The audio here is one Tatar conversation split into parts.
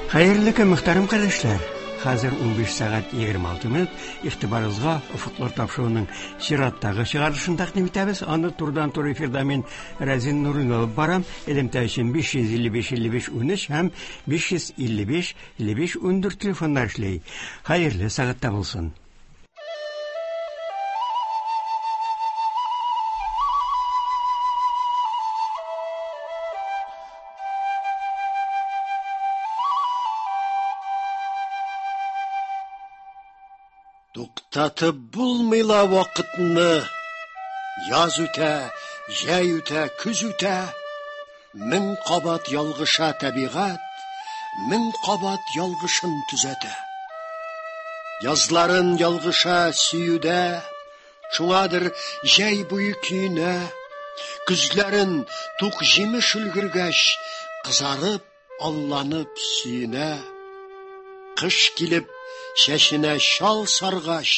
Хәерле көн, мөхтәрәм кардәшләр! Хәзер 15 сәгать 26 минут. Игътибарыгызга Офыклар тапшыруының чираттагы чыгарылышын тәкъдим итәбез. Аны турыдан-туры эфирда мин Рәзин Нуруллин алып барам. Элемтә өчен 555 55 13 һәм 555 55 14 телефоннар эшли. Хәерле сәгатьтә булсын. Туктатып булмый ла вакытны. Яз үтә, җәй үтә, көз үтә. Мең кабат ялгыша табигать, мең кабат ялгышын төзәтә. Язларын ялгыша сөюдә, шуңадыр җәй буе көенә. Көзләрен тук җимеш өлгергәч, кызарып, алланып сөенә. Кыш килеп, чәченә чал саргач,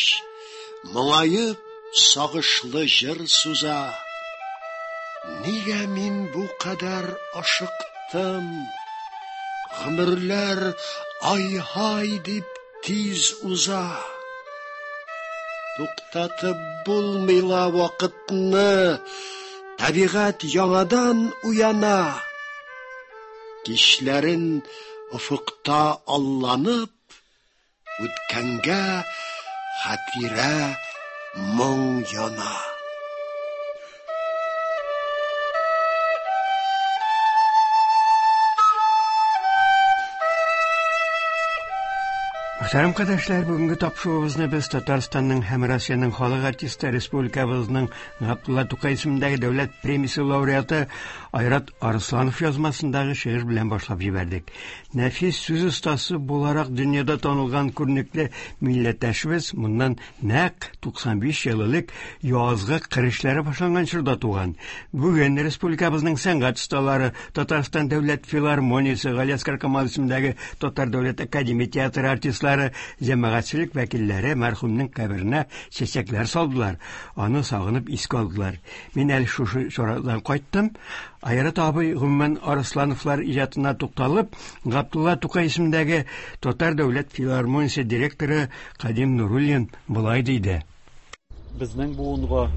моңаеп, сагышлы җыр суза. Нигә мин бу кадәр ашыктым? Гомерләр ай-һай дип тиз уза. Туктатып булмый ла вакытны, табигать яңадан уяна. Кичләрен офыкта алланып, үткәнгә хатирә моң яна. Мөхтәрәм кардәшләр, бүгенге тапшыруыбызны без Татарстанның һәм Россиянең халык артисты, республикабызның Габдулла Тукай исемендәге дәүләт премиясе лауреаты Айрат Арысланов язмасындагы шигырь белән башлап җибәрдек. Нәфис сүз остасы буларак дөньяда танылган күренекле милләттәшебез моннан нәкъ 95 ел элек язгы кыр эшләре башланган чорда туган. Бүген республикабызның сәнгать осталары, Татарстан дәүләт филармониясе, Галиәсгар Камал исемендәге Татар дәүләт академия театры артистлары, җәмәгатьчелек вәкилләре мәрхүмнең каберенә чәчәкләр салдылар, аны сагынып искә алдылар. Мин әле шушы чарадан кайттым. Айрат абый, гомумән, Арыслановлар иҗатына тукталып, Габдулла Тукай исемендәге Татар дәүләт филармониясе директоры Кадим Нуруллин болай диде. Безнең буынга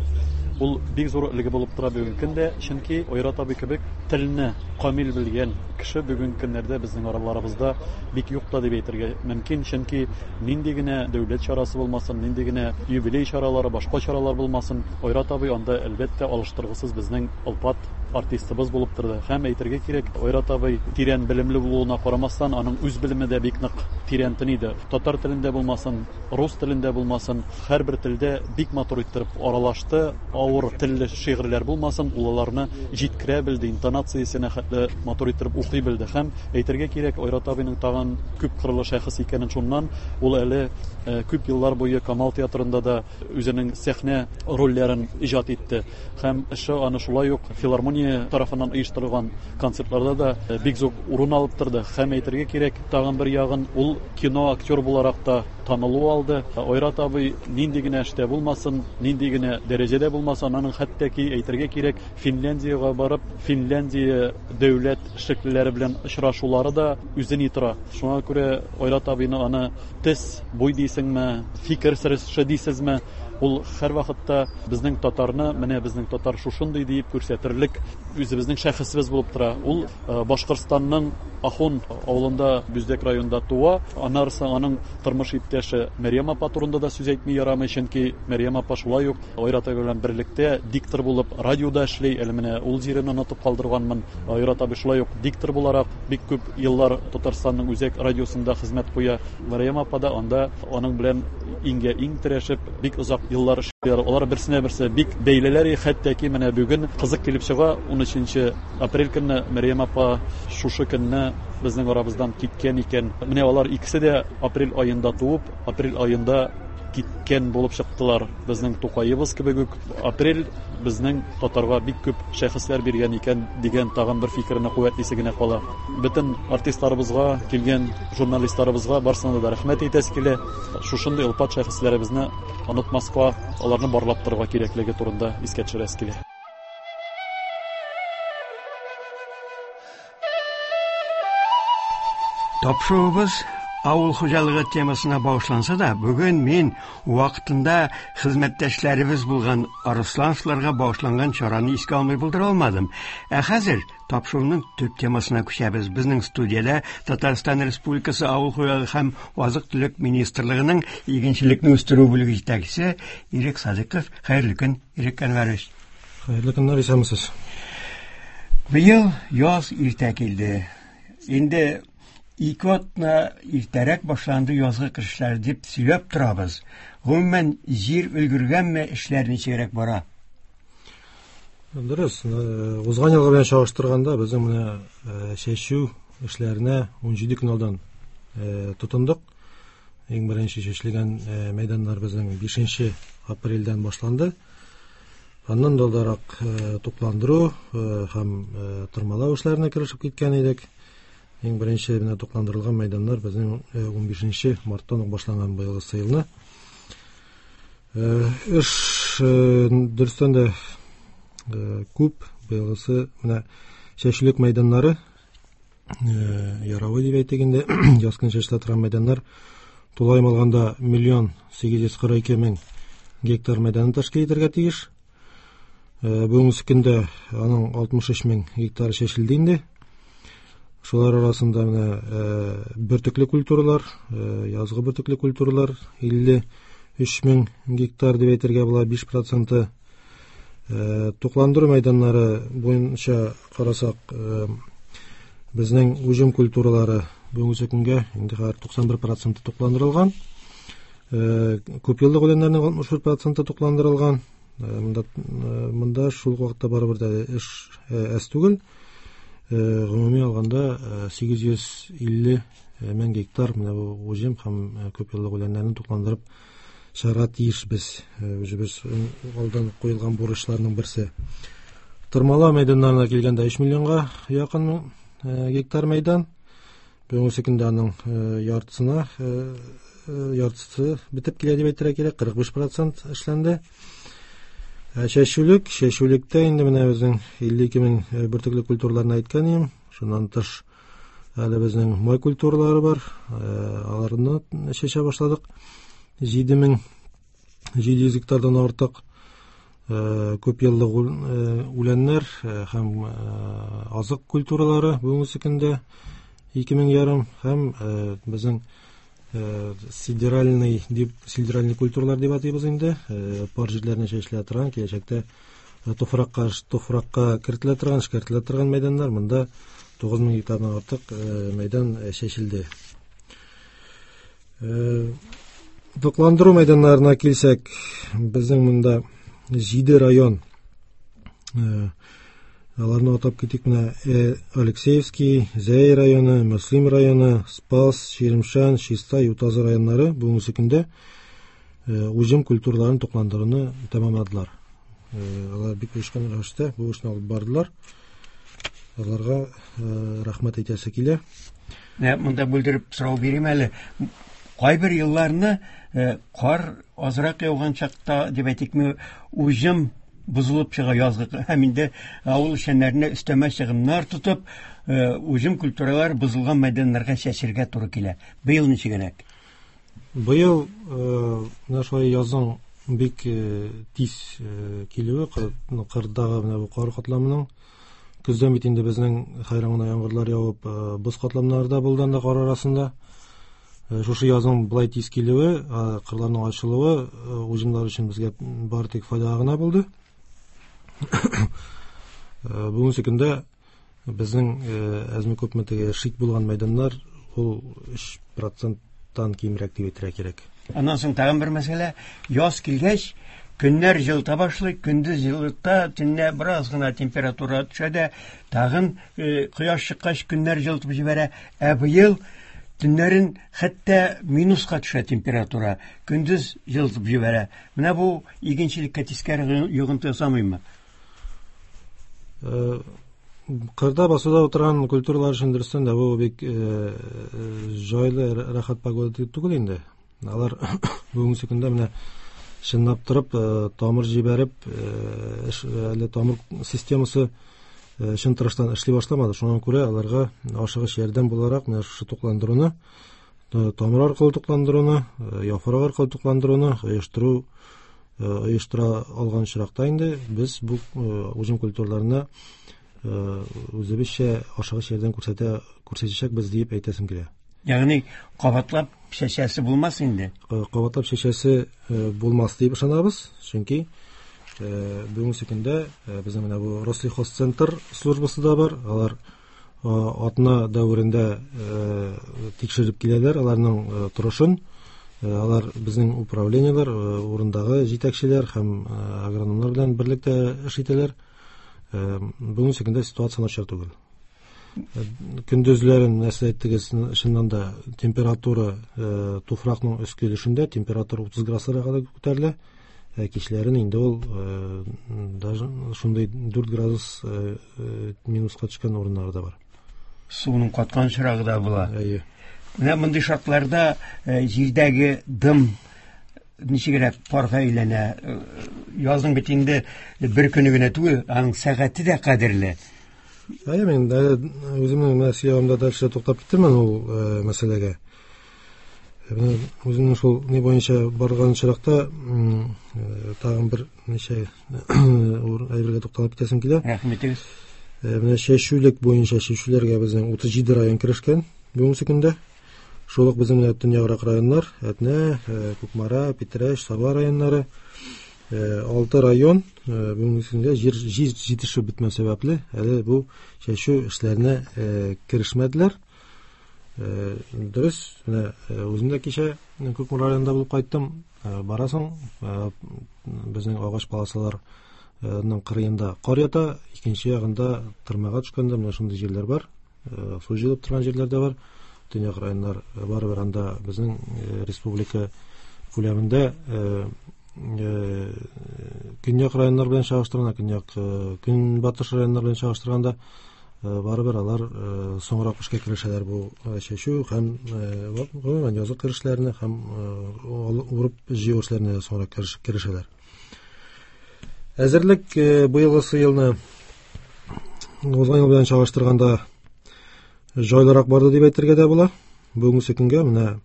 ул бик зур өлге булып тора бүгенге көндә, чөнки Айрат абый кебек телне камил белгән кеше бүгенге көннәрдә безнең араларыбызда бик юк та дип әйтергә мөмкин, чөнки нинди генә дәүләт чарасы булмасын, нинди генә юбилей чаралары, башка чаралар булмасын, Айрат абый анда, әлбәттә, алыштыргысыз безнең олпат артистыбыз булып торды. Һәм әйтергә кирәк, Айрат абый тирән белемле булуына карамастан, аның үз белеме дә бик нык тирәнтен иде. Татар телендә булмасын, рус телендә булмасын, һәрбер телдә бик матур иттереп аралашты. Авыр телле шигырьләр булмасын, ул аларны җиткерә белде, интонациясенә хәтле матур иттереп укый белде. Һәм әйтергә кирәк, Айрат абыйның тагын күп кырлы шәхес икәнен шуннан, ул әле күп еллар буе Камал театрында да үзенең сәхнә рольләрен иҗат итте. Һәм эше аны шулай ук филармония тарафыннан оештырылган концертларда да бик зур урын алып торды. Һәм әйтергә кирәк, тагын бер ягын, ул кино актер буларак та танылу алды. Айрат абый нинди генә эштә булмасын, нинди генә дәрәҗәдә булмасын, аның хәтта ки, әйтергә кирәк, Финляндиягә барып, Финляндия дәүләт эшлеклеләре белән очрашулары да үзе ни тора. Шуңа күрә Айрат абыйны аны тес, буй дисеңме, фикер сөреше дисезме, ул һәрвакытта безнең татарны, менә безнең татар шушындый диеп күрсәтерлек үзебезнең шәхесебез булып тора. Ул Башкортстанның Ахун авылында, Бүздәк районында туа. Аннары аның тормыш иптәше Мәрьям апа турында да сүз әйтми ярамый, чөнки Мәрьям апа шулай ук Айрат абый белән берлектә диктор булып радиода эшли. Әле менә ул җирен онытып калдырганмын. Айрат абый шулай ук диктор буларак бик күп еллар Татарстанның үзәк радиосында хезмәт куя. Мәрьям апа да анда аның белән иңгә иң терәшеп бик озак еллар эшлиләр. Алар берсенә берсе бик бәйлеләр, хәтта ки менә бүген кызык килеп чыга, 13 апрель көнне Мәрьям апа шушы көнне безнең арабыздан киткән икән. Менә алар икесе дә апрель аенда туып, апрель аенда киткән булып чыктылар. Безнең Тукаебыз кебек үк апрель безнең татарга бик күп шәхесләр биргән икән дигән тагын бер фикерне куәтлисе генә кала. Бөтен артистларыбызга, килгән журналистларыбызга барысына да рәхмәт әйтәсе килә. Шушындый олпат шәхесләребезне онытмаска, аларны барлап торырга кирәклеге турында искә төшерәсе килә. Тапшыруыбыз авыл хуҗалыгы темасына багышланса да, бүген мин вакытында хезмәттәшләребез булган Арыслановларга багышланган чараны искә алмый булдыра алмадым. Ә хәзер тапшыруның төп темасына күчәбез. Безнең студиядә Татарстан Республикасы Авыл хуҗалыгы һәм азык-төлек министрлыгының игенчелекне үстерү бүлеге җитәкчесе Ирек Садыков. Хәерле көн, Ирек Әнвәрович. Хәерле көннәр, исәнмесез. Быел яз иртә килде. Инде 2 атна иртәрәк башланды язгы кыр эшләре дип сөйләп торабыз. Гомумән, җир өлгергәнме, эшләр ничегрәк бара? Дөрес, узган елгы белән чагыштырганда безнең менә чәчү эшләренә 17 көн алдан тотындык. Иң беренче чәчелгән мәйданнар безнең 5 апрельдән башланды. Аннан да алдарак тукландыру һәм тырмалау эшләренә керешеп киткән идек. Иң беренче менә тукландырылган мәйданнар безнең 15 марттан ук башланган быелгы елны. Эш дөрестән дә күп. Быелгысы менә чәчүлек мәйданнары, яравы дип әйтик инде, яз көне чәчелә торган мәйданнар тулаем алганда 1 842 000 гектар мәйданын тәшкил итәргә тиеш. Бүгенге көндә аның 63 мең гектар чәчелде инде. Шулар арасында менә бөртекле культуралар, язгы бөртекле культуралар 53 мең гектар дип әйтергә була, 5 проценты. Тукландыру мәйданнары буенча карасак, безнең уҗым культуралары бүгенге көнгә инде хәзер 91 проценты тукландырылган. Күпьеллык үләннәрнең 61 проценты тукландырылган. Монда шул вакытта барыбер дә эш әз түгел. Гомуми алганда 850 мең гектар менә бу уҗым һәм күпьеллык үләннәрне тукландырып чыгарга тиешбез. Үзебез алдан куелган бурычларның берсе. Тырмалау мәйданнарына килгәндә 3 миллионга якын гектар мәйдан. Бүгенге көндә аның яртысына яртысы бетеп килә дип әйтергә кирәк, 45 процент эшләнде. Чәчүлектә инде менә безнең 52 мең бөртекле культураларны әйткән идем. Шуннан тыш әле безнең май культуралары бар. Аларны чәчә башладык. 7700 гектардан артык күп еллык үләннәр һәм азык культуралары бүгенге көндә 2500 һәм безнең сидеральный дип, сидеральный культуралар дип атыйбыз инде, пар җирләренә чәчелә торган, киләчәктә туфракка кертелә торган, эшкәртелә торган мәйданнар, монда 9000 гектардан артык мәйдан чәчелде. Тукландыру мәйданнарына килсәк, безнең монда 7 район, аларны атап китик менә: Алексеевский, Зәй районы, Мөслим районы, Спас, Чирмешән, Чистай, Ютазы районнары бүгенге көндә уҗым культураларын тукландыруны тәмамладылар. Алар бик оешкан рәвештә бу эшне алып бардылар. Аларга рәхмәт әйтәсе килә. Менә монда бүлдереп сорау бирим әле. Кайбер елларны кар азрак яуган чакта, дип әйтикме, уҗым бозылып чыга язгы һәм инде авыл эшчәннәренә өстәмә чыгымнар тотып, уҗым культуралар бозылган мәйданнарга чәчергә туры килә. Быел ничегрәк? Быел менә шулай язның бик тиз килүе, кырдагы менә бу кар катламының, көздән бит инде безнең хәйран гына яңгырлар явып, боз катламнары да булды анда кар арасында. Шушы язның болай тиз килүе, кырларның ачылуы уҗымнар өчен безгә бары тик файдага гына булды. Бүгенге көндә безнең әзме күпме теге шик булган мәйданнар ул 3 проценттан кимрәк дип әйтергә кирәк. Аннан соң тагын бер мәсьәлә: яз килгәч, көннәр җылыта башлый, көндез җылыта, төнлә бераз гына температура төшә дә, тагын кояш чыккач көннәр җылытып җибәрә. Ә быел төннәрен хәтта минуска төшә температура, көндез җылытып җибәрә. Менә бу игенчелеккә тискәре йогынты ясамыймы? Кырда, басуда утырган культуралар өчен дөрестән дә бу бик җайлы, рәхәт погода түгел инде. Алар бүгенге көндә менә чынлап торып тамыр җибәреп, әле тамыр системасы Чын тырыштан эшли башламады. Шуңа күрә аларга ашыгыч ярдәм буларак менә шушы тукландыруны, тамыр аркылы тукландыруны, яфрак аркылы тукландыруны оештыру оештыра алган очракта инде без бу уҗым культураларына үзебезчә ашыгыч ярдәм күрсәтәчәкбез дип әйтәсем килә. Ягъни кабатлап чәчәсе булмас инде. Кабатлап чәчәсе булмас дип ышанабыз, чөнки бүгенге көндә безнең менә бу Рослехозцентр службасы да бар. Алар атна дәверендә тикшереп киләләр аларның торышын. Алар безнең управлениеләр, урындагы җитәкчеләр һәм агрономнар белән берлектә эш итәләр. Бүгенге көндә ситуация начар түгел. Көндезләрен нәрсә әйттегез, чыннан да температура туфракның өске өлешендә температура 30 градуска кадәр күтәрелә. Кичләрен инде ул даже шундый 4 градус минуска төшкән урыннары да бар. Суның каткан чирагы да була. Әйе. Менә мондый шартларда җирдәге дым ничегрәк парга әйләнә? Язның бит инде бер көне генә түгел, аның сәгате дә кадерле. Әйе, мин үземнең менә сөйләвемдә дальше туктап китермен ул мәсьәләгә. Менә үземнең шул ни буенча барган очракта тагын бер ничә әйбергә тукталып китәсем килә. Рәхмәт итегез. Менә чәчүлек буенча чәчүләргә безнең 37 район керешкән бүгенге көндә. Шул ук безнең менә төньяграк районнар, Әтнә, Кукмара, Питрәч, Саба районнары, 6 район бүгенге көндә җир җитешеп бетмәү сәбәпле әле бу чәчү эшләренә керешмәделәр. Дөрес, менә үзем дә кичә Кукмара районында булып кайттым. Барасың, безнең агач полосаларның кырыенда кар ята, икенче ягында тырмага төшкәндә менә шундый җирләр бар, су җыелып торган җирләр дә бар. Төньяк районнар барыбер анда безнең республика күләмендә көньяк районнар белән чагыштырганда, көньяк көнбатыш районнар белән чагыштырганда барыбер алар соңрак эшкә керешәләр бу чәчү һәм гомумән язгы керешләренә һәм урып җыю эшләренә соңрак керешәләр. Әзерлек быелгысы елны узган ел белән чагыштырганда җайлырак барды дип әйтергә дә була. Бүгенге көнгә менә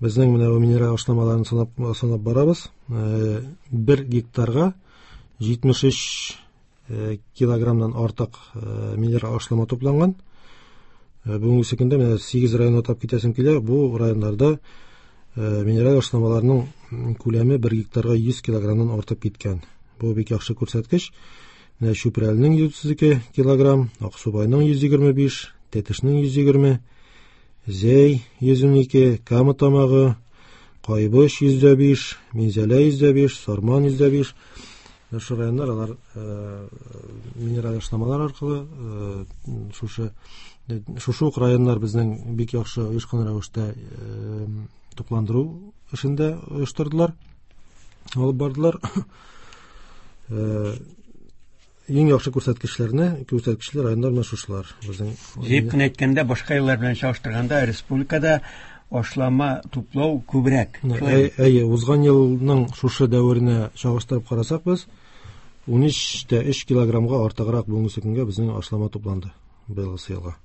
безнең менә бу минераль ашламаларын санап барабыз. 1 гектарга 73 килограммнан артык минераль ашлама тупланган. Бүгенге көндә менә 8 район атап китәсем килә. Бу районнарда минераль ашламаларның күләме 1 гектарга 100 килограммнан артып киткән. Бу бик яхшы күрсәткеч. Менә Чүпрәленең 132 килограмм, Аксубайның 125, Тәтешнең 120, Зәй 112, Кама Тамагы, Кайбыч 105, Минзәлә 105, Сарман 105. Шушы районнар алар минераль ашламалар аркылы шушы ук районнар безнең бик яхшы оешкан рәвештә тукландыру эшен дә оештырдылар, алып бардылар. Иң яхшы күрсәткечләр районнар менә шушылар. Безнең җыеп кенә әйткәндә, башка еллар белән чагыштырганда республикада ашлама туплау күбрәк. Әйе, узган елның шушы дәверенә чагыштырып карасак без 13,3 килограммга артыграк бүгенге көнгә безнең ашлама тупланды быелгы елга.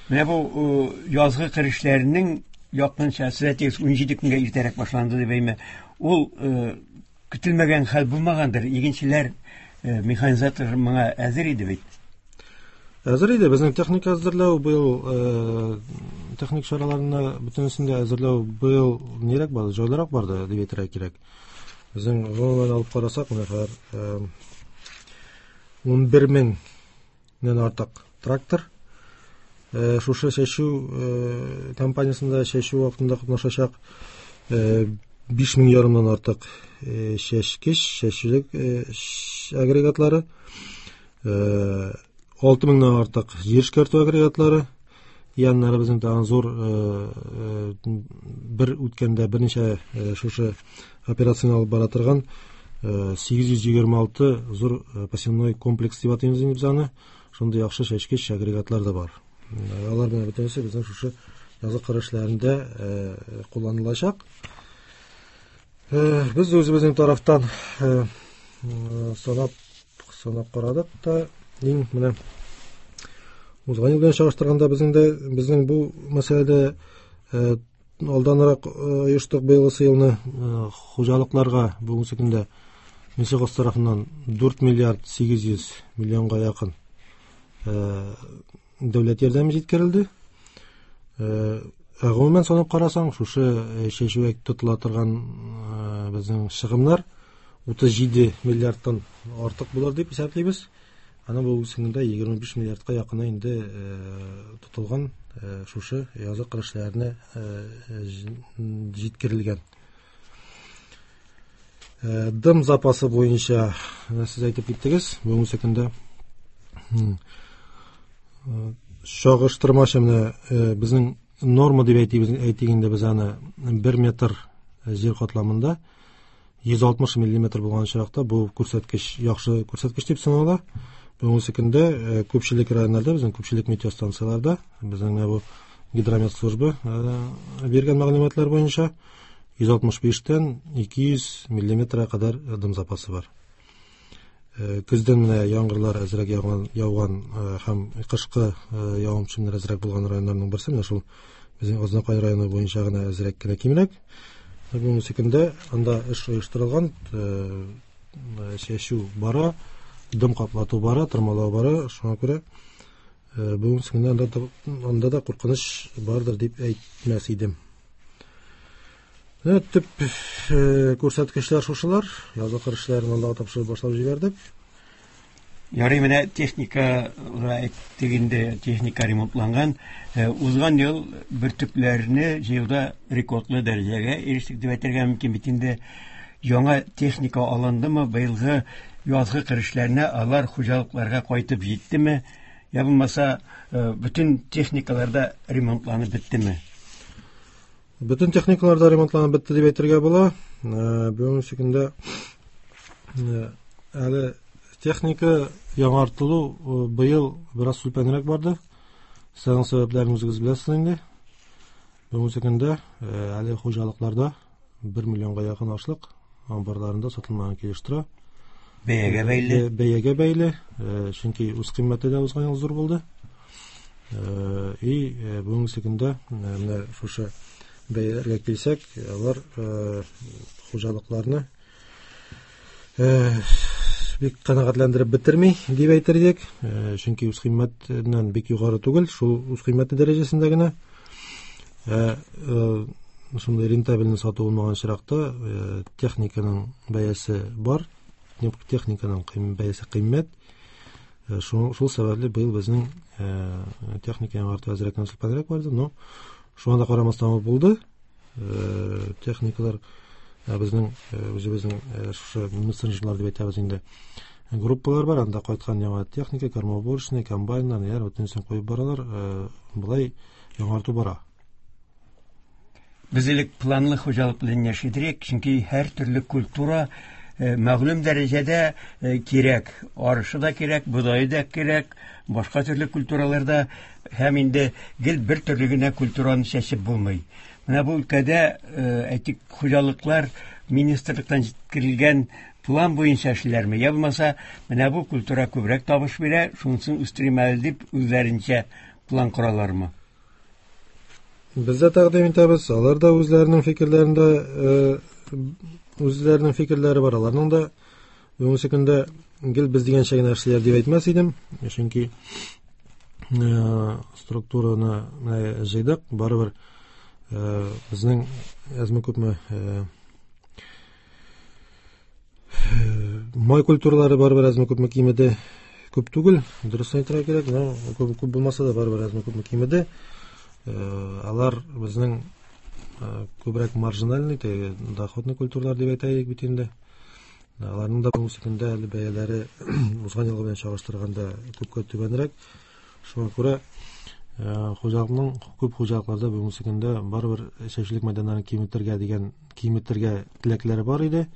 Менә бу язгы кыр эшләренең якынча сез әйтегез 17 көнгә иртәрәк башланды дип әйме. Ул көтелмәгән хәл булмагандыр. Игенчеләр, механизатор моңа әзер иде бит. Әзер иде. Безнең техника әзерләү быел, техник чараларны бөтенесен дә әзерләү быел нирәк барды, җайлырак барды дип әйтергә кирәк. Безнең гомумән алып карасак, менә хәзер 11 меңнән артык трактор. Шушы чәчү компаниясендә чәчү вакытында катнашачак 5 мең ярымнан артык чәчкеч, чәчүлек агрегатлары, 6 меңнән артык җир эшкәртү агрегатлары, яннары безнең тагын зур бер үткәндә берничә шушы операцияне алып бара торган 826 зур посевной комплекс дип атыйбыз инде без аны. Шундый яхшы чәчкеч агрегатлар да бар. Алар белән бөтенесе безнең шушы язгы кыр эшләрендә кулланылачак. Без үзебезнең тарафтан санап карадык та, Иң менә узган ел белән чагыштырганда безнең дә безнең бу мәсьәләдә алданрак оештык быелгысы елны хуҗалыкларга бүгенге көндә Минсельхоз тарафыннан 4 миллиард 800 миллионга якын дәүләт ярдәме җиткерелде. Ә гомумән санап карасаң, шушы чәчүгә тотыла торган безнең чыгымнар 37 миллиардтан артык булыр дип исәплибез. Аны бу көндә 25 миллиардка якыны инде тотылган шушы язгы кыр эшләренә җиткерелгән. Дым запасы буенча сез әйтеп киттегез, бүгенге көндә чагыштырмача менә безнең норма дип әйтик, әйтик инде без аны 1 метр җир катламында 160 миллиметр булган очракта бу күрсәткеч яхшы күрсәткеч дип санала. Бүгенге көндә күпчелек районнарда, безнең күпчелек метеостанцияләрдә, безнең менә бу гидромет службы биргән мәгълүматлар буенча 165-тән 200 миллиметрга кадәр дым запасы бар. Көздән менә яңгырлар әзрәк яуган һәм кышкы явым-төшемнәр әзрәк булган районнарның берсе менә шул безнең Азнакай районы буенча гына әзрәк кенә кимрәк. Бүгенге көндә анда эш оештырылган, чәчү бара, дым каплату бара, тырмалау бара. Шуңа күрә бүгенге көндә анда да куркыныч бардыр дип әйтмәс идем. Менә төп күрсәткечләр шушылар. Язгы кыр эшләрен аллага тапшырып башлап җибәрдек. Ярый, менә техника әйттек инде, техника ремонтланган. Узган ел бөртекләрне җыюда рекордлы дәрәҗәгә ирештек дип әйтергә мөмкин бит инде. Яңа техника алындымы, быелгы язгы кыр эшләренә алар хуҗалыкларга кайтып җиттеме, я булмаса бөтен техникалар да ремонтланып беттеме? Бөтен техникалар да ремонтланып бетте дип әйтергә була. Бүгенге көндә әле техника яңартылу быел бераз сүлпәнрәк барды. Сезнең сәбәпләрен үзегез беләсез инде. Бүгенге көндә әле хуҗалыкларда 1 миллионга якын ашлык амбарларында сатылмаган килеш тора. Бәягә бәйле. Бәягә бәйле, чөнки үз кыйммәте дә узган ел зур булды. И бүгенге көндә менә шушы бәяләргә килсәк, алар хуҗалыкларны бик канәгатьләндереп бетерми дип әйтер идек. Чөнки үз кыйммәтеннән бик югары түгел, шул үз кыйммәте дәрәҗәсендә генә. Шундый рентабельне сату булмаган очракта техниканың бәясе бар, техниканың бәясе кыйммәт. Шул сәбәпле быел безнең техника яңарту әзрәк сүлпәнрәк барды, но шуңа да карамастан ул булды. Техникалар безнең үзебезнең шушы мессенджерлар дип әйтәбез инде. Группалар бар, анда кайткан яңа техника, кормоуборочный, комбайннар, яр бөтенесен куеп баралар. Болай яңарту бара. Без элек планлы хуҗалык белән яши идек, чөнки һәр төрле культура мәгълүм дәрәҗәдә кирәк. Арышы да кирәк, бодае да кирәк, башка төрле культуралар да, һәм инде гел бер төрле генә культураны чәчеп булмый. Менә бу өлкәдә, әйтик, хуҗалыклар министрлыктан җиткерелгән план буенча эшләрме, я булмаса, менә бу культура күбрәк табыш бирә, шунысын үстерим әле дип үзләренчә план коралармы? Без дә тәкъдим итәбез, алар да үзләренең фикерләрендә, үзләренең фикерләре бар, аларның да бүгенге көндә гел без дигәнчә генә эшлиләр дип әйтмәс идем, чөнки структураны менә җыйдык, барыбер безнең әзме-күпме май культуралары барыбер әзме-күпме кимеде, күп түгел, дөрес әйтергә кирәк, но күп булмаса да барыбер әзме-күпме кимеде. Алар безнең күбрәк маржинальный, теге доходный культуралар дип әйтәйек бит инде. Аларның да бүгенге көндә әле бәяләре узган елгы белән чагыштырганда күпкә түбәнрәк. Шуңа күрә хуҗалыкның күп хуҗалыкларда бүгенге көндә барыбер чәчүлек мәйданнарын киметергә дигән киметергә теләкләре бар иде.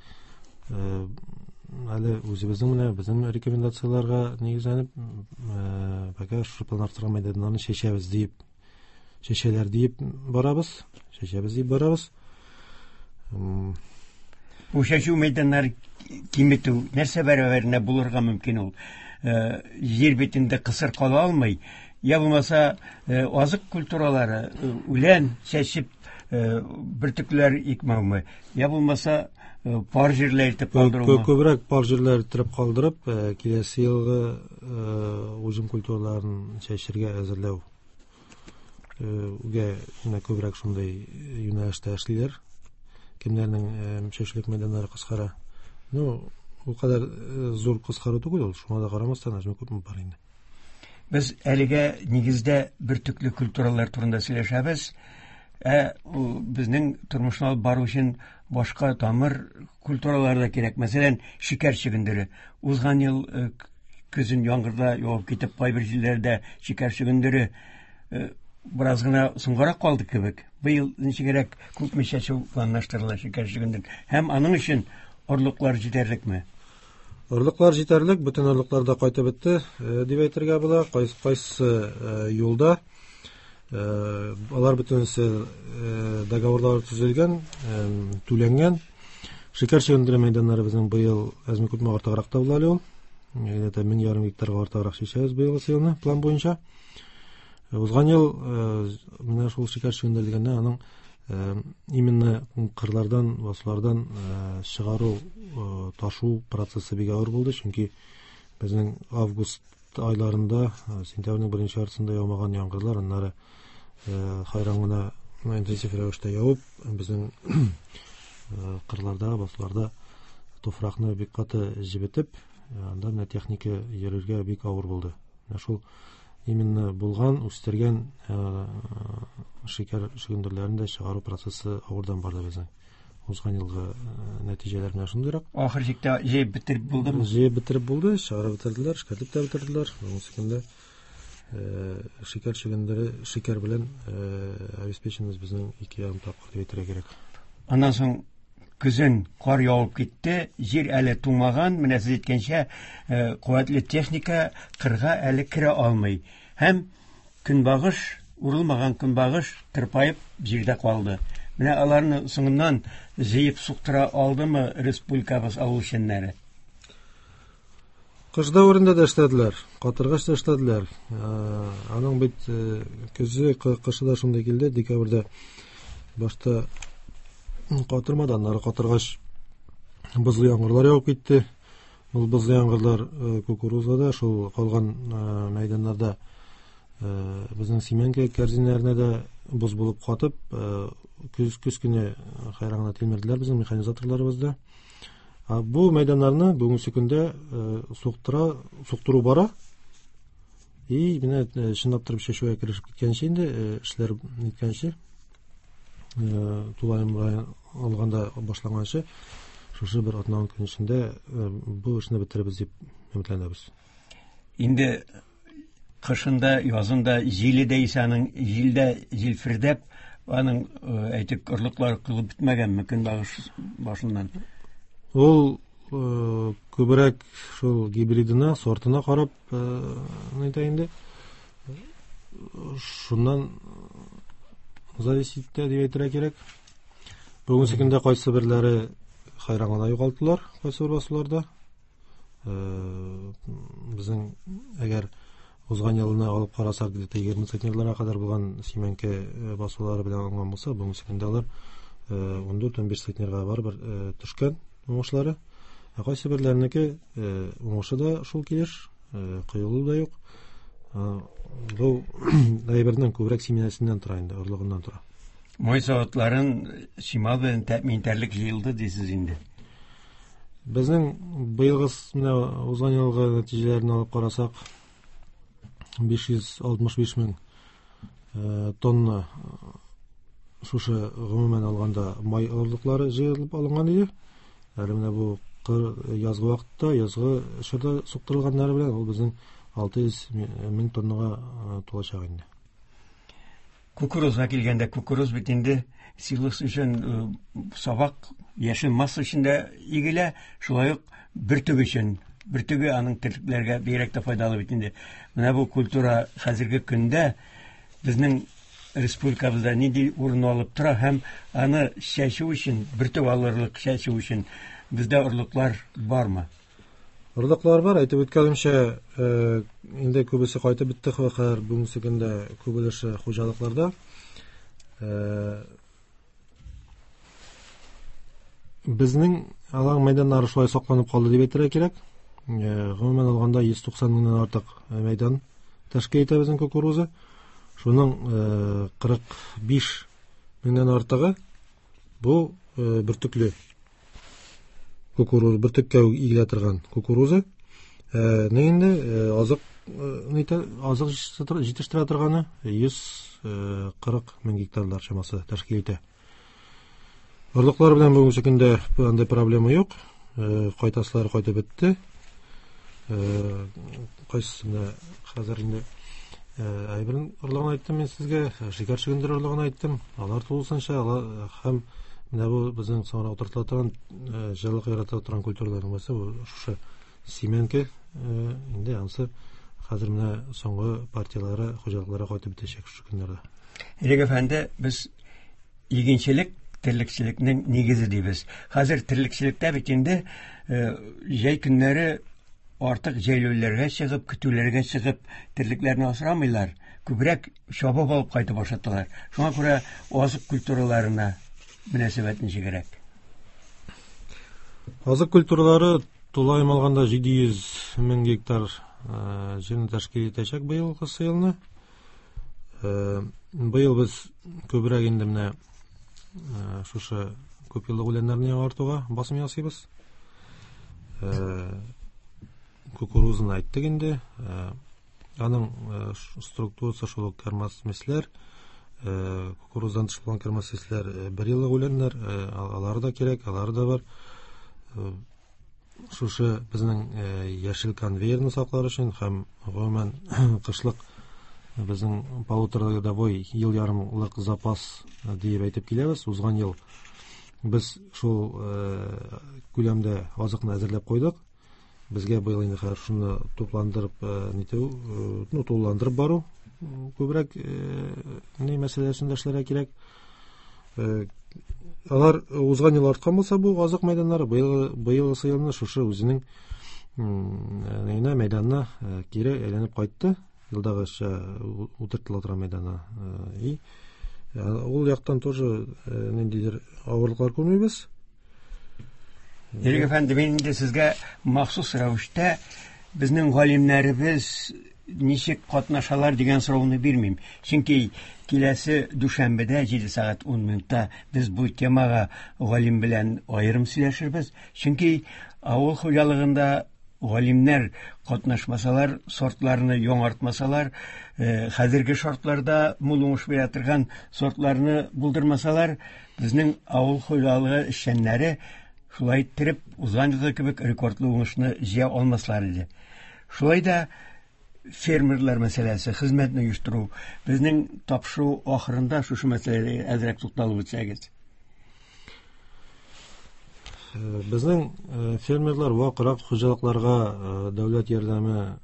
Әле үзебезнең менә безнең рекомендацияләргә нигезләнеп, пока шушы планлаштырган мәйданнарны чәчәбез диеп, чәчәләр диеп барабыз, чәчәбез дип барабыз. Бу чәчү мәйданнары киметү нәрсә бәрабәренә булырга мөмкин ул? Җир битендә кысыр кала алмый. Я булмаса, азык культуралары, үлән чәчеп, бөртекләр икмәүме? Я булмаса, пар җирләр итеп калдырумы? Күбрәк пар җирләр итеп калдырып, киләсе елгы уҗым культураларын чәчергә әзерләү гә менә күбрәк шундый юнәлештә эшлиләр. Кемнәрнең чәчүлек мәйданнары кыскара. Ну, ул кадәр зур кыскару түгел ул, шуңа да карамастан әзме күпме бар инде. Без әлегә нигездә бөртекле культуралар турында сөйләшәбез. Ә безнең тормышны алып бару өчен башка тамыр культуралары да кирәк. Мәсәлән, шикәр чөгендере. Узган ел көзен яңгырда явып китеп, кайбер җирләрдә шикәр чөгендере бераз гына соңгарак калды кебек. Быел ничегрәк, күпме чәчү планлаштырыла шикәр чөгендерен? Һәм аның өчен орлыклар җитәрлекме? Орлыклар җитәрлек, бөтен орлыклар да кайтып бетте, дип әйтергә була. Кайсы юлда алар бөтенесе договорлар төзелгән, түләнгән. Шикәр чөгендере мәйданнары безнең быел әзме күпме артыграк та була әле ул. Где-то 1500 гектарга артыграк чәчәбез быелгы елны план буенча. Узган ел менә шул шикәр чөгендере дигәндә аның именно кырлардан, басулардан чыгару, ташу процессы бик авыр булды, чөнки безнең август айларында, сентябрьнең беренче яртысында яумаган яңгырлар, аннары хайран гына интенсив рәвештә явып, безнең кырларда, басуларда туфракны бик каты җебетеп, анда менә техника йөрергә бик авыр булды. Менә шул именно булган, үстергән шикәр чөгендерләрен дә чыгару процессы авырдан барды безнең. Узган елгы нәтиҗәләр менә шундыйрак. Ахыр чиктә җыеп бетереп булдымы? Җыеп бетереп булды, чыгарып бетерделәр, эшкәртеп тә бетерделәр. Бүгенге көндә шикәр чөгендере, шикәр белән обеспеченность безнең 2,5 тапкыр дип әйтергә кирәк. Аннан соң көзен кар явып китте, җир әле туңмаган, менә сез әйткәнчә, куәтле техника кырга әле керә алмый. Һәм көнбагыш, урылмаган көнбагыш тырпаеп җирдә калды. Менә аларны соңыннан җыеп суктыра алдымы республикабыз авыл эшчәннәре? Кыш дәверендә дә эшләделәр, катыргач та эшләделәр. Аның бит көзе, кышы да шундый килде, декабрьдә башта катырмады, аннары катыргач бозлы яңгырлар явып китте. Ул бозлы яңгырлар кукурузада, шул калган мәйданнарда безнең симәнке кәрзиннәренә дә боз булып катып, көз көне хайран гына тилмерделәр безнең механизаторларыбыз да. Бу мәйданнарны бүгенге көндә суктыру бара. И менә чынлап торып чәчүгә керешеп киткәнче инде, эшләр ниткәнче, тулаем алганда башланганчы, шушы бер атна көн эчендә бу эшне бетерербез дип өметләнәбез. Инде кышында, язында җиле дә исә аның җилдә җилфердәп, аның әйтик, орлыклары кылып бетмәгәнме көнбагыш башыннан? Ул күбрәк шул гибридына, сортына карап, әйтә инде. Шуннан зависит итә дип әйтергә кирәк. Бүгенге көндә кайсы берләре хайран гына югалтылар, кайсы бер басуларда. Безнең әгәр узган елны алып карасак, где-то 20 центнерларга кадәр булган симәнке басулары белән алынган булса, бүгенге көндә алар 14-15 центнерга барыбер төшкән уңышлары. Ә кайсы берләренеке уңышы да шул килеш, коелу да юк. Бу әйбернең күбрәк семенәсеннән тора инде, орлыгыннан тора. Май заводларын чимал белән тәэмин итәрлек җыелды дисез инде. Безнең быелгы менә узган елгы нәтиҗәләрен алып карасак, 565 мең тонна шушы гомумән алганда май орлыклары җыелып алынган иде. Әле менә бу язгы вакытта, язгы чорда суктырылганнары белән ул безнең 600 мең тоннага тулачак инде. Кукурузга килгәндә, кукуруз бит инде силос өчен сабак, яшел масса өчен дә игелә, шулай ук бөртек өчен. Бөртеге аның терлекләргә бигрәк тә файдалы бит инде. Менә бу культура хәзерге көндә безнең Республикабызда нинди урын алып тора һәм аны чәчү өчен, бөртек алырлык чәчү өчен бездә орлыклар бармы? Орлыклар бар, әйтеп үткәнемчә, инде күбесе кайтып бетте хәзер бүгенге көндә күп өлеше хуҗалыкларда. Безнең алар мәйданнары шулай сакланып калды дип әйтергә кирәк. Гомумән алганда 190 меңнән артык мәйдан тәшкил итә безнең кукуруза. Шуның 45 меңнән артыгы бу бөртекле кукуруз, бөртеккә игелә торган кукуруза. Ни инде азык азык җитештерә торганы 140 мең гектарлар чамасы тәшкил итә. Орлыклар белән бүгенге көндә андый проблема юк. Кайтасылар кайтып бетте. Кайсысында хәзер инде әйберен орлыгын әйттем мин сезгә, шикәр чөгендер орлыгын әйттем. Алар тулысынча һәм менә бу безнең соңрак утыртыла торган җылылык ярата торган культураларның берсе бу шушы семенка. Инде анысы хәзер менә соңгы партияләре хуҗалыкларга кайтып бетәчәк шушы көннәрдә. Ирек әфәнде, без игенчелек терлекчелекнең нигезе дибез. Хәзер терлекчелектә бит инде җәй көннәре артык җәйләүләргә чыгып, көтүләргә чыгып терлекләрне асрамыйлар. Күбрәк чабып алып кайтып ашаталар. Шуңа күрә азык культураларына мөнәсәбәт ничегрәк? Азык культуралары тулаем алганда 700 мең гектар җирне тәшкил итәчәк быелгы елны. Быел без күбрәк инде менә шушы күпьеллык үләннәрне яңартуга басым ясыйбыз. Кукурузаны әйттек инде. Аның структурасы шул ук кермасмесләр, кукуруздан тыш булган кермасмесләр бер еллык үләннәр, алар да кирәк, алар да бар. Шушы безнең яшел конвейерны саклар өчен һәм гомумән кышлык безнең полуторагодовой ел ярымлык запас диеп әйтеп киләбез. Узган ел без шул күләмдә азыкны әзерләп куйдык. Безгә быел инде хәзер шуны тупландырып нитү, ну, тулыландырып бару күбрәк ни мәсьәләсендә эшләргә кирәк. Алар узган ел арткан булса бу азык мәйданнары, быелгысы елны шушы үзенең нәйнә мәйданына кире әйләнеп кайтты. Елдагыча утыртыла торган мәйданына. И ул яктан тоже ниндидер авырлыклар күрмибез. Ирек әфәнде, мин инде сезгә махсус рәвештә безнең галимнәребез ничек катнашалар дигән сорауны бирмим. Чөнки киләсе дүшәмбедә 7 сәгать 10 минутта без бу темага галим белән аерым сөйләшербез. Чөнки авыл хуҗалыгында галимнәр катнашмасалар, сортларны яңартмасалар, хәзерге шартларда мул уңыш бирә торган сортларны булдырмасалар, безнең авыл хуҗалыгы эшчәннәре шулай иттереп узган елгы кебек рекордлы уңышны җыя алмаслар иде. Шулай да фермерлар мәсьәләсе, хезмәтне оештыру, безнең тапшыру ахырында шушы мәсьәләгә әзрәк тукталып үтсәгез. Безнең фермерлар вакрак хуҗалыкларга дәүләт ярдәме,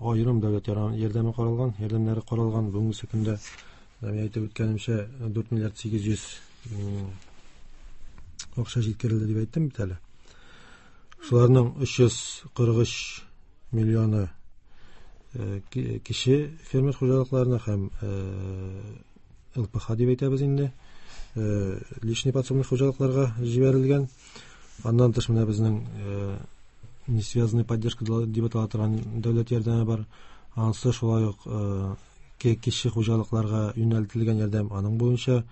аерым дәүләт ярдәме каралган, ярдәмнәре каралган. Бүгенге көндә, мин әйтеп үткәнемчә, 4 миллиард 800 акча җиткерелде дип әйттем бит әле. Шуларның 343 миллионы кече фермер хуҗалыкларына һәм ЛПХ дип әйтәбез инде, личный подсобный хуҗалыкларга җибәрелгән. Аннан тыш менә безнең несвязанная поддержка дип атала торган дәүләт ярдәме бар. Анысы шулай ук кече хуҗалыкларга юнәлтелгән ярдәм. Аның буенча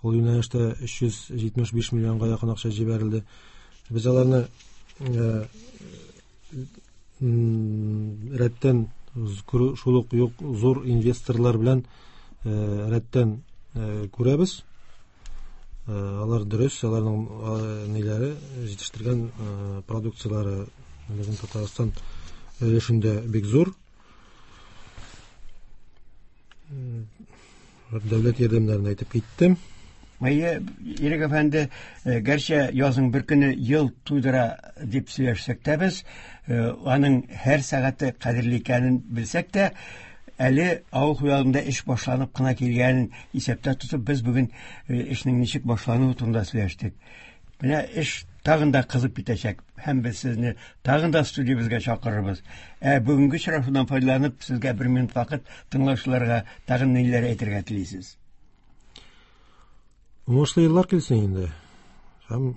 ул юнәлештә 375 миллионга якын акча җибәрелде. Без аларны рәттән шул ук юк зур инвесторлар белән рәттән күрәбез. Алар дөрес, аларның ниләре җитештергән продукцияләре безнең Татарстан өлешендә бик зур. Дәүләт ярдәмнәрен әйтеп киттем. Әйе, Ирек әфәнде, гәрчә язның бер көне ел туйдыра дип сөйләшсәк тә без, аның һәр сәгате кадерле икәнен белсәк тә, Әле авыл хуҗалыгында эш башланып кына килгәнен исәптә тотып, без бүген эшнең ничек башлануы турында сөйләштек. Менә эш тагын да кызып китәчәк һәм без сезне тагын да студиябезгә чакырырбыз. Ә бүгенге очрашудан файдаланып, сезгә бер минут вакыт тыңлаучыларга тагын ниләр әйтергә телисез? Уңышлы еллар килсен инде. Һәм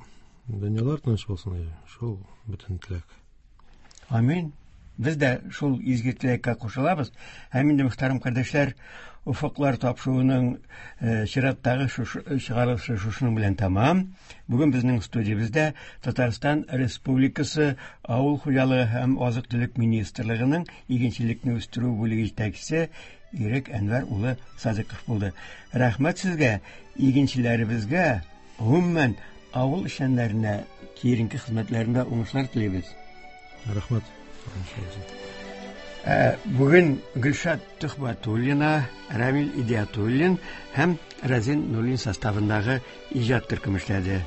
дөньялар тыныч булсын. Шул бөтен теләк. Амин. Без дә шул изге теләккә кушылабыз. Һәм инде, мөхтәрәм кардәшләр, Офыклар тапшыруының чираттагы чыгарылышы шушының белән тәмам. Бүген безнең студиябездә Татарстан Республикасы Авыл хуҗалыгы һәм азык-төлек министрлыгының игенчелекне үстерү бүлеге җитәкчесе Ирек Әнвәр улы Садыков булды. Рәхмәт сезгә, игенчеләребезгә, гомумән, авыл эшчәннәренә киеренке хезмәтләрендә уңышлар телибез. Рәхмәт. Бүген Гөлшат Төхбәтуллина, Рамил Идиатуллин һәм Разин Нулин составындагы иҗат төркеме эшләде.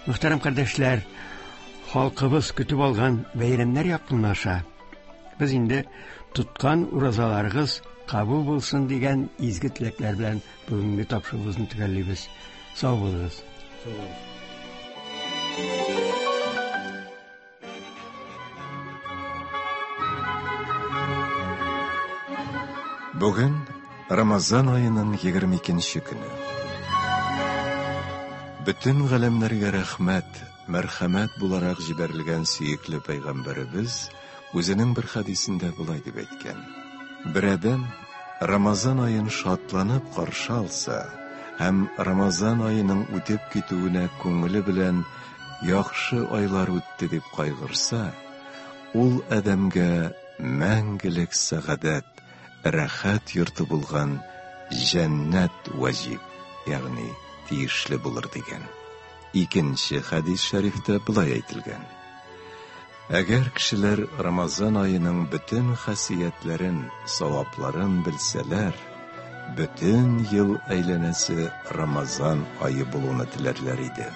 Мөхтәрәм кардәшләр, халкыбыз көтеп алган бәйрәмнәр якынлаша. Без инде тоткан уразаларыгыз кабул булсын дигән изге теләкләр белән бүгенге тапшыруыбызны төгәллибез. Сау булыгыз. Сау булыгыз. Бүген Рамазан аеның 22 көне. Бөтен галәмнәргә рәхмәт, мәрхәмәт буларак җибәрелгән сөекле пәйгамбәребез үзенең бер хәдисендә болай дип әйткән: Бер адәм Рамазан аен шатланып каршы алса һәм Рамазан аеның үтеп китүенә күңеле белән яхшы айлар үтте дип кайгырса, ул адәмгә мәңгелек сәгадәт, рәхәт йорты булган җәннәт ваҗиб, ягъни тиешле булыр дигән. Икенче хәдис шәрифтә болай әйтелгән: Әгәр кешеләр Рамазан аеның бөтен хасиятләрен, савапларын белсәләр, бөтен ел әйләнәсе Рамазан ае булуны теләрләр иде.